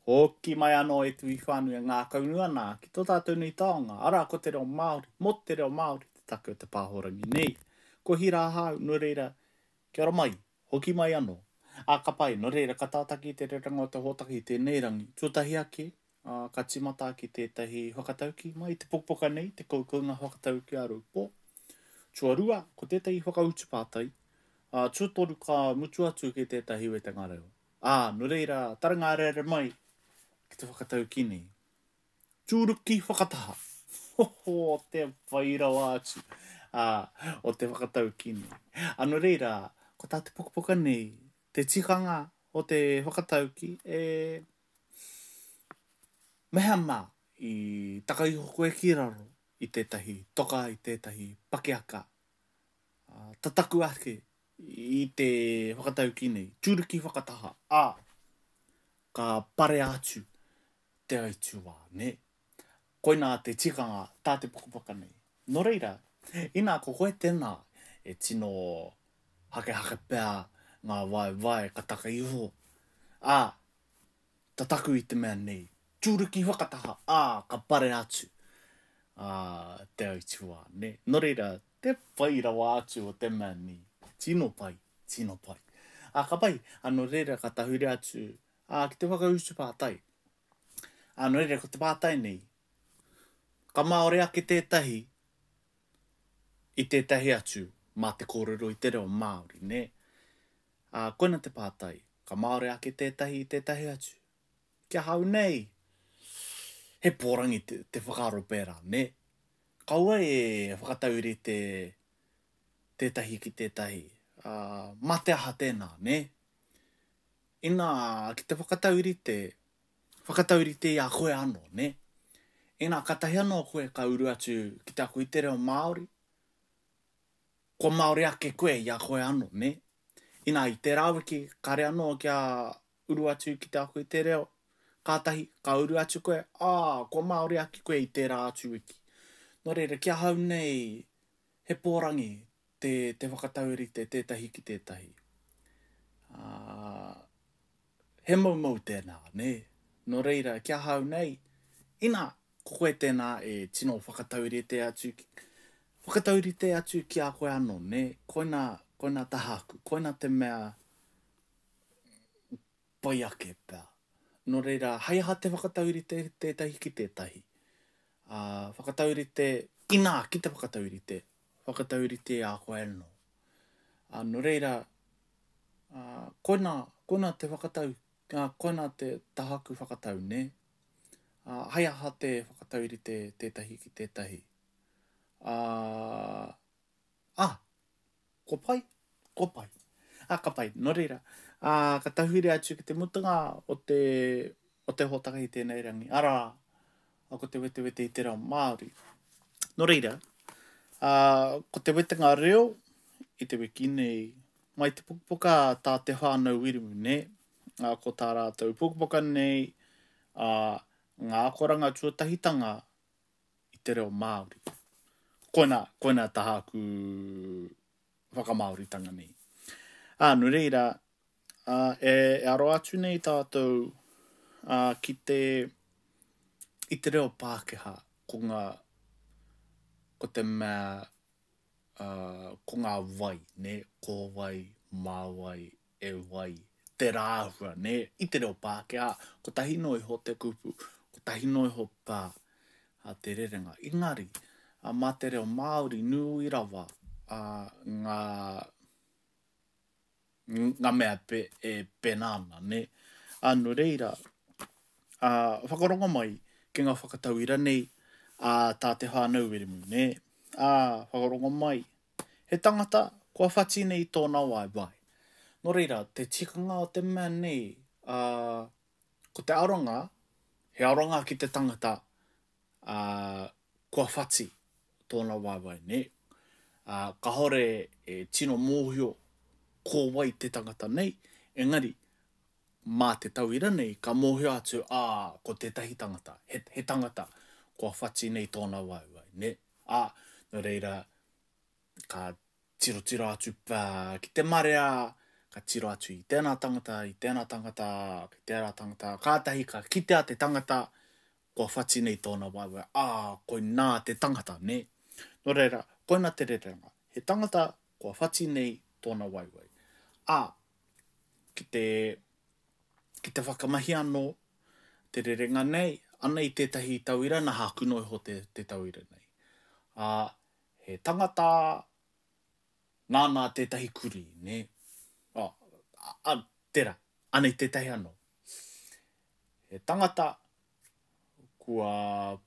Hoki mai anō e te iwi whānui e ngākaunui ana ki tō tātou nei taonga, arā ko te reo Māori, mō te reo Māori te take o te pāhorangi nei. Ko Hira ahau, nō reira, kia ora mai, hoki mai anō. Ā, ka pai, nō reira, ka tātaki i te rerenga o te hōtaka i tēnei rangi. Tuatahi ake, ā, ka tīmata ki tētahi whakataukī mai i te pukapuka nei, te koukounga whakataukī a Raupō. Tuarua, ko tētahi whakautu pātai. Ā, tuatoru ka mutu atu ki tētahi wetenga reo. Ā, nō reira, taranga areare mai ki te whakataukī nei. Tūruki whakataha! Hoho, te pai rawa atu, ā, o te whakataukī nei. Ā, nō reira, ko tā te pukapuka nei, te tikanga o te whakataukī, e, mehemea i taka iho koe ki raro i tētahi toka, i tētahi pakiaka, ā, tataku ake i te whakataukī nei, tūruki whakataha, ā, ka parea atu te aituā, nē? Koinā te tikanga tā te pukapuka nei. Nō reira, inā ko koe tēnā e tino hakehake pea ngā waewae ka taka iho, ā, tataku i te mea nei, tūruki whakataha, ā, ka parea atu, ā, te aituā, nē? Nō reira, Te pai rawa atu o te mea nei. Tino pai, tino pai. Ā, ka pai, ā, nō reira ka tahuri atu, ā, ki te whakautu pātai. Ā, nō reira ko te pātai nei, ka māori ake tētahi i tētahi atu mā te kōrero i te reo Māori, nē? Ā, koina te pātai, ka māori ake tētahi i tētahi atu? Ki ahau nei, he pōrangi te, te whakaaro pērā, nē? Kaua e whakataurite tētahi ki tētahi, ā, mā te aha tēnā, nē? Inā, ki te whakataurite, whakataurite i a koe anō, nē? Inā, kātahi anō koe ka uru atu ki te ako i te reo Māori, kua Māori ake koe i a koe anō, nē? Inā, i tērā wiki, kāre anō kia uru atu ki te ako i te reo, kātahi, ka uru atu koe, ā, kua Māori ake koe i tērā atu wiki. Nō reira, ki ahau nei, he pōrangi te, te whakataurite tētahi ki tētahi. Ā, he moumou tēnā, nē? Nō reira, ki ahau nei, inā, ko koe tēnā e tino whakataurite atu, whakataurite atu ki a koe anō, nē? Koinā, koinā tāku, koinā te mea pai ake pea. Nō reira, hei aha te whakataurite tētahi ki tētahi? Ā, whakataurite, inā, ki te whakataurite, whakataurite i a koe anō. Ā, nō reira, ā, koinā, koinā te whakatau, ā, koinā te tahaku whakatau, nē? Ā, hei aha te whakataurite tētahi ki tētahi? Ā, ā, Kua pai? Kua pai. Ā, ka pai. Nō reira, ā, ka tahuri atu ki te mutunga o te, o te hōtaka i tēnei rangi, arā, ko te wetewete i te reo Māori. Nō reira, ā, ko te wetenga reo i te wiki nei, mai te pukapuka tā Te Whānau Wiremu, nē? Ā, ko tā rātou pukapuka nei, ā, ngā akoranga tuatahitanga i te reo Māori. Koina, koina tāku whakamāoritanga nei. Ā, nō reira, ā, e, e aro atu nei tātou ā, ki te, i te reo Pākehā, ko ngā, ko te mea, ā, ko ngā wai, nē, ko wai, mā wai, e wai, te rāhua, nē? I te reo Pākehā, kotahi noa iho te kupu, kotahi noa iho pā a te rerenga. Engari, mā te reo Māori nui rawa a, ngā, ngā mea pe, e pēnā ana, nē? Ā, nō reira, ā, whakarongo mai ki ngā whakatauira nei a tā Te Whānau Wiremu, nē? Ā, whakarongo mai He tangata kua whati nei tōna waewae. Nō reira, te tikanga o te mea nei, ā, ko te aronga, he aronga ki te tangata, ā, kua whati tōna waewae, nē? Ā, kāore e tino mōhio ko wai te tangata nei, engari, mā te tauira nei ka mōhio atu, ā, ko tētahi tangata, he, he tangata kua whati nei tōna waewae, nē? Ā, nō reira, ka tirotiro atu pea ki te marea, Ka tiro atu i tēnā tangata, i tēnā tangata, ki tērā tangata, kātahi ka kitea te tangata kua whati nei tōna waewae, ā, koinā te tangata, nē? Nō reira, koina te rerenga, he tangata kua whati nei tōna waewae. Ā, ki te, ki te whakamahi anō te rerenga nei, anei tētahi tauira, nā hāku noa iho te, te tauira nei. Ā, he tangata Nāna tētahi kurī, nē? Oh, a, tērā, anei tētahi anō. He tangata kua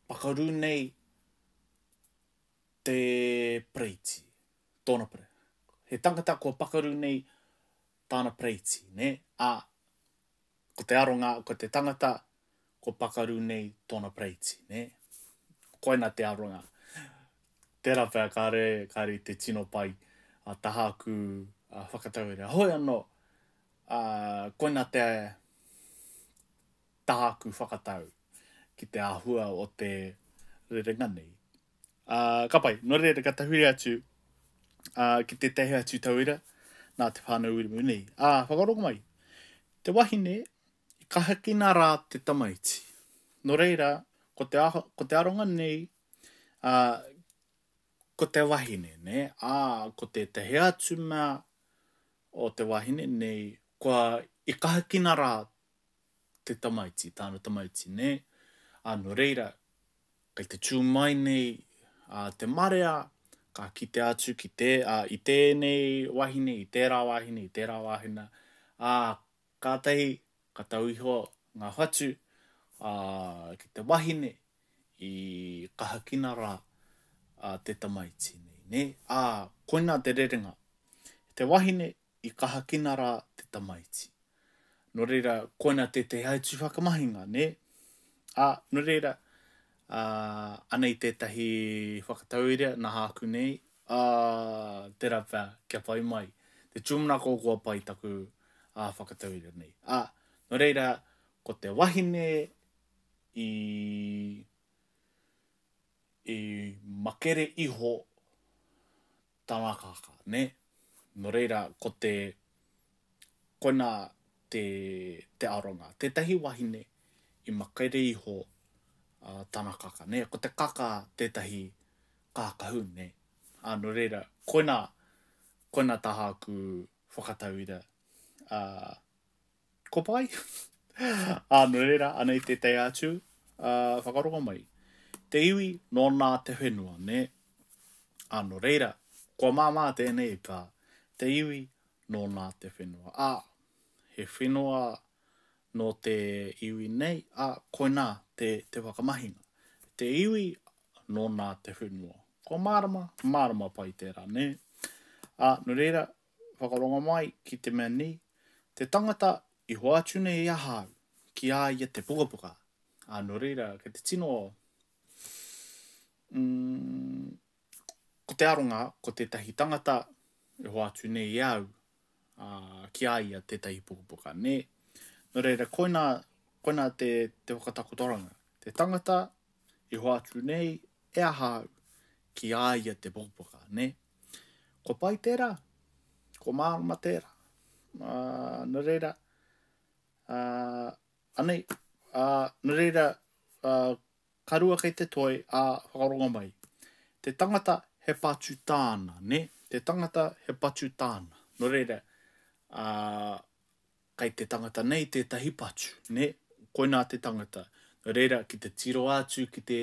pakaru nei te pereiti, tōna pere. He tangata kua pakaru nei tāna pereiti, nē? Ā, ko te aronga, ko te tangata kua pakaru nei tōna pereiti, nē? Koina te aronga. Tērā pea kāre, kāre i te tino pai a taha aku whakatauira. Hoi anō, ā, koina te taha aku whakatau ki te āhua o te rerenga nei. Ā, ka pai. Nō reira, ka tahuri atu ā, ki tētahi atu tauira nā te whānau Wiremu nei. Ā, whakarongo mai. Te wahine i kahakina rā te tamaiti. Nō reira, ko te, aho, ko te aronga nei, ā, ko te wahine, nē? Ā, ko tētahi atu mea o te wahine nei, kua i kahakina rā te tamaiti, tāna tamaiti, nē? Ā, nō reira, Kei te tū mai nei a te marea, ka kite atu ki te, a, i tēnei wahine, i tērā wahine, i tērā wahine, ā, kātahi ka tau iho ngā whatu, ā, ki te wahine i kahakina rā a te tamaiti nei, nē? Ā, koinā te rerenga. Te wahine i kahakina rā te tamaiti. Nō reira, koina tētehi atu whakamahinga, nē? Ā, nō reira, ā, anei tētahi whakatauira nā hāku nei, ā, tērā pea kia pai mai. Te tūmanako kua pai taku ā, whakatauira nei. Ā, nō reira, ko te wahine i, i makere iho tana kākā, nē? Nō reira, ko te, koinā te, te aronga. Tētahi wahine i makere iho uh, tana kaka, nē? Ko te kaka tētahi kākahu, nē? Ā, nō reira, koinā, koinā tā hāku whakatauira. Uh, Ko pai? Ā, nō reira, anei tētahi atu, ā, whakarongo mai. Te iwi nōna te whenua, nē? Ā, nō reira, kua māmā tēnei pā, te iwi nōna te whenua. Ā, he whenua nō te iwi nei, ā, koinā te, te whakamahinga. Te iwi nōna te whenua. Kua mārama? Mārama pai tērā, nē? Ā, nō reira, Whakarongo mai ki te mea nei, te tangata i hoatu nei e ahau ki a ia te pukapuka. Ā, nō reira, kei te tino, mm, ko te aronga, ko tētahi tangata e hoatu nei e au, ā, ki a ia tētahi pukapuka, nē? Nō reira, koinā, koinā te, te whakatakotoranga. Te tangata i hoatu nei e ahau ki a ia te pukapuka, nē? Kua pai tērā? Kua mārama tērā? Ā, nō reira, ā, anei, ā, nō reira, ā, ka rua kei te toi, ā, whakarongo mai. Te tangata he patu tāna, nē? Te tangata he patu tāna. Nō reira, ā, Kei te tangata nei tētahi patu, nē? Koinā te tangata. Nō reira, ki te tiro atu ki te,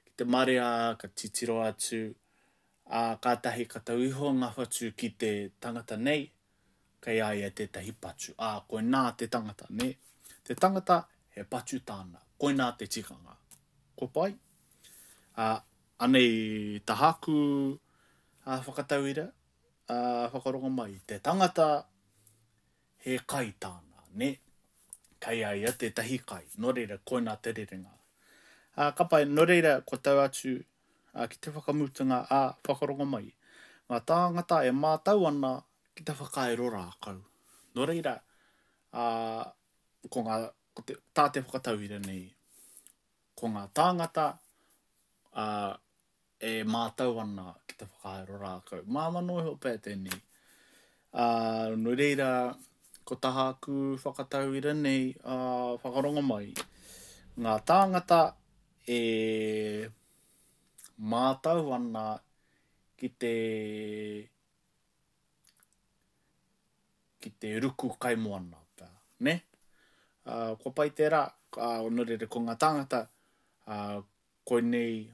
ki te marea, ka titiro atu, ā, kātahi ka tau iho ngā whatu ki te tangata nei, kei a ia tētahi patu. Ā, koinā te tangata, nē? Te tangata, he patu tāna. Koinā te tikanga. Kua pai? Ā, anei tahaku, ā, whakatauira, ā, whakarongo mai. Te tangata, He kai tāna, nē? Kei a ia tētahi kai, nō reira, koinā te rerenga. Ā, ka pai, nō reira, kua tau atu ā, ki te whakamutunga, ā, whakarongo mai. Ngā tāngata e mātau ana ki te whakairo rākau. Nō reira, ā, ko ngā, ko te, tā te whakatauira nei, ko ngā tāngata, ā, e mātau ana ki te whakairo rākau. Māmā noa iho pea tēnei. Ā, nō reira, ko tāku whakatauira nei, ā, whakarongo mai, ngā tāngata e mātau ana ki te, ki te ruku kaimoana pea, nē? Ā, kua pai tērā, ā, nō reira, ko ngā tāngata, ā, koinei,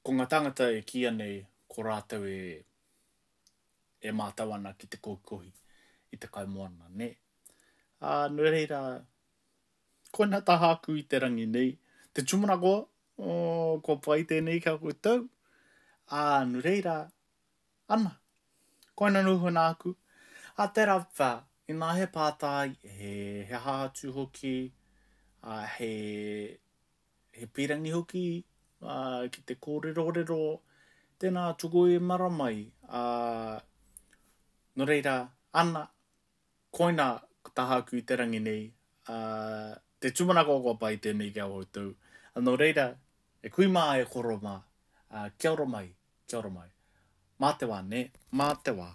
ko ngā tāngata e kīia nei ko rātou e, e mātau ana ki te kohikohi i te kaimoana, nē? Ā, nō reira, koina tā hāku i te rangi nei, te tūmanako, oh, kua pai tēnei ki a koutou. Ā, nō reira, ana, koina noho nāku. Ā, tērā pea, inā he pātai, he, he aha atu hoki, ā, he, he pīrangi hoki ā, ki te kōrerorero, tēnā tuku i mara mai, ā, nō reira, ana, koina ko tāku i te rangi nei, ā, te tūmanako kua pai tēnei ki a koutou, ā, nō reira, e kui mā, e koro mā, ā, kia ora mai, kia ora mai. Mā te wā, nē, mā te wā.